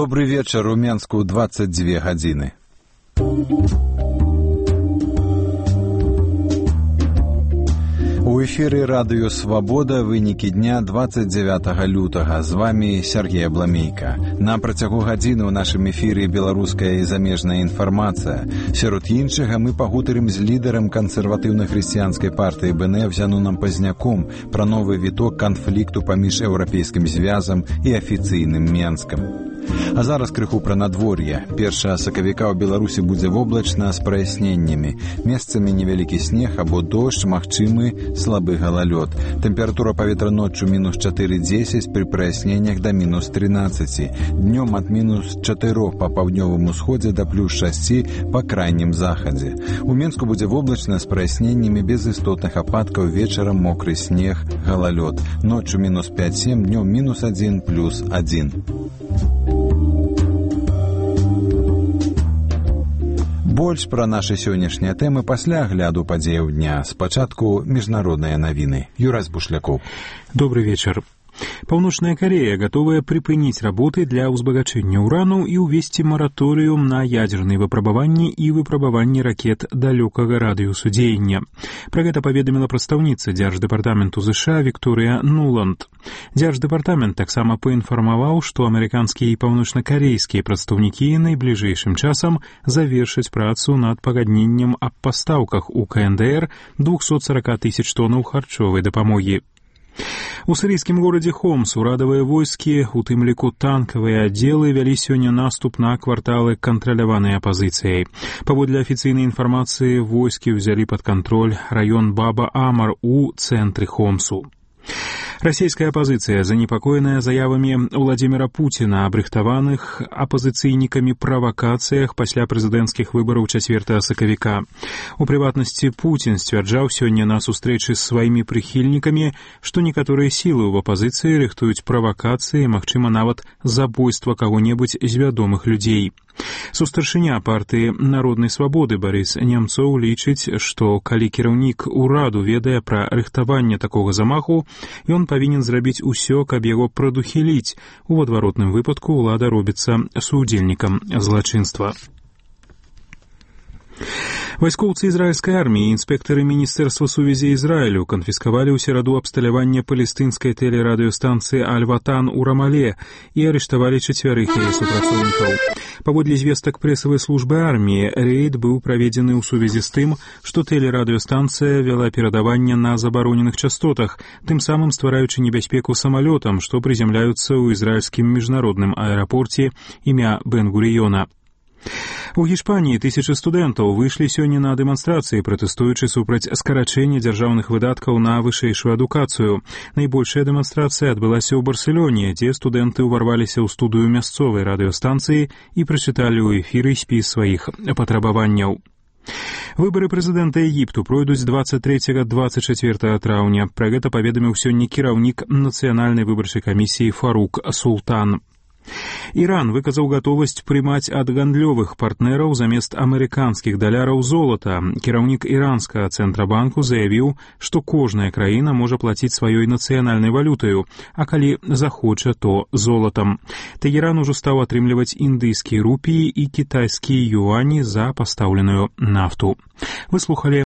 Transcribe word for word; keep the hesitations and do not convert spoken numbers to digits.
Добрый вечер, у Менску двадцать две гадзіны. У эфіры радыё «Свабода» вынікі дня двадцать девятого лютага. З вами Сергей Абламейка. На працягу гадзіны ў нашым эфіры беларуская і замежная інфармацыя. Сярод іншага мы пагутарым з лідарам кансерватыўна-хрысціянскай партыі Бэ Эн Эф Зянунам Пазняком пра новы віток канфлікту паміж еўрапейскім звязам і афіцыйным Менскам. А зараз крыху пра надвор'е. першага сакавіка ў Беларусі будзе воблачна з праясненнямі. Месцамі невялікі снег або дождж, магчымы слабы галалёд. Тэмпература паветра ноччу мінус чатыры дзесяць, пры праясненнях да мінус трынаццаць. Днём ад мінус чатырох па паўднёвым усходзе да плюс шасці па крайнім захадзе. У Менску будзе воблачна з праясненнямі без істотных ападкаў, вечарам мокры снег, галалёд. Ноччу мінус пяць сем, днём мінус адзін, плюс адзін. Больш пра нашы сённяшнія тэмы пасля агляду падзеяў дня. Спачатку міжнародныя навіны. Юрась Бушляков. Добрый вечер. Паўночная Корея готовая припыніць работы для ўзбагачэння урану і ўвесці мараторыум на ядзерныя выпрабаванні і выпрабаванні ракет далёкага радыусу дзеяння. Пра гэта паведаміла прадстаўніца дзярждэпартаменту ЗША Вікторыя Нуланд. Дзярждэпартамент таксама паінфармаваў, што амерыканскія і паўночнакарэйскія прадстаўнікі найбліжэйшым часам завершаць працу над пагадненнем аб пастаўках у Ка Эн Дэ Эр двухсот сорока тысяч тоннаў харчовай дапамогі. У сірыйскім горадзе Хомс урадавыя войскі, у тым ліку танкавыя аддзелы, вялі сёння наступ на кварталы, кантраляваныя апазіцыяй. Паводле афіцыйнай інфармацыі, войскі ўзялі пад кантроль раён Баба-Амар у цэнтры Хомсу. Расійская апазіцыя занепакоеная заявамі Владзіміра Пуціна аб рыхтаваных апазіцыйнікамі правакацыях пасля прэзідэнцкіх выбараў чацвёртага сакавіка. У прыватнасці, Пуцін сцвярджаў сёння на сустрэчы з сваімі прыхільнікамі, што некаторыя сілы ў апазіцыі рыхтуюць правакацыі, магчыма, нават забойства каго-небудзь з вядомых людзей. Сустаршыня партыі Народнай свабоды Барыс Немцоў лічыць, што калі кіраўнік ураду ведае пра рыхтаванне такога замаху, ён павінен зрабіць усё, каб яго прадухіліць. У адваротным выпадку ўлада робіцца суудзельнікам злачынства. Вайскоўцы ізраільскай арміі і інспектары Міністэрства сувязі Ізраілю канфіскавалі ў сераду абсталяванне палестынскай тэлерадыёстанцыі Аль-Ватан у Рамале і арыштавалі чацвярых яе супрацоўнікаў. Паводле звестак прэсавай службы арміі, рэйд быў праведзены ў сувязі з тым, што тэлерадыёстанцыя вяла перадаванне на забароненых частотах, тым самым ствараючы небяспеку самалётам, што прызямляюцца ў ізраільскім міжнародным аэрапорце імя Бен-Гурыёна. У Гішпаніі тысячы студэнтаў выйшлі сёння на дэманстрацыі, пратэстуючы супраць скарачэння дзяржаўных выдаткаў на вышэйшую адукацыю. Найбольшая дэманстрацыя адбылася ў Барселоне, дзе студэнты ўварваліся ў студыю мясцовай радыёстанцыі і прачыталі ў эфіры спіс сваіх патрабаванняў. Выбары прэзідэнта Егіпту пройдуць двадцать трэцяга - двадцать чацвёртага траўня. Пра гэта паведаміў сёння кіраўнік нацыянальнай выбарчай камісіі Фарук Султан. Іран выказаў гатовасць прымаць ад гандлёвых партнераў замест амерыканскіх даляраў золата. Кіраўнік іранскага цэнтрабанку заявіў, што кожная краіна можа плаціць сваёй нацыянальнай валютаю, а калі захоча, то золатам. Тэгеран ужо стаў атрымліваць індыйскія рупіі і кітайскія юані за пастаўленую нафту. Вы слухалі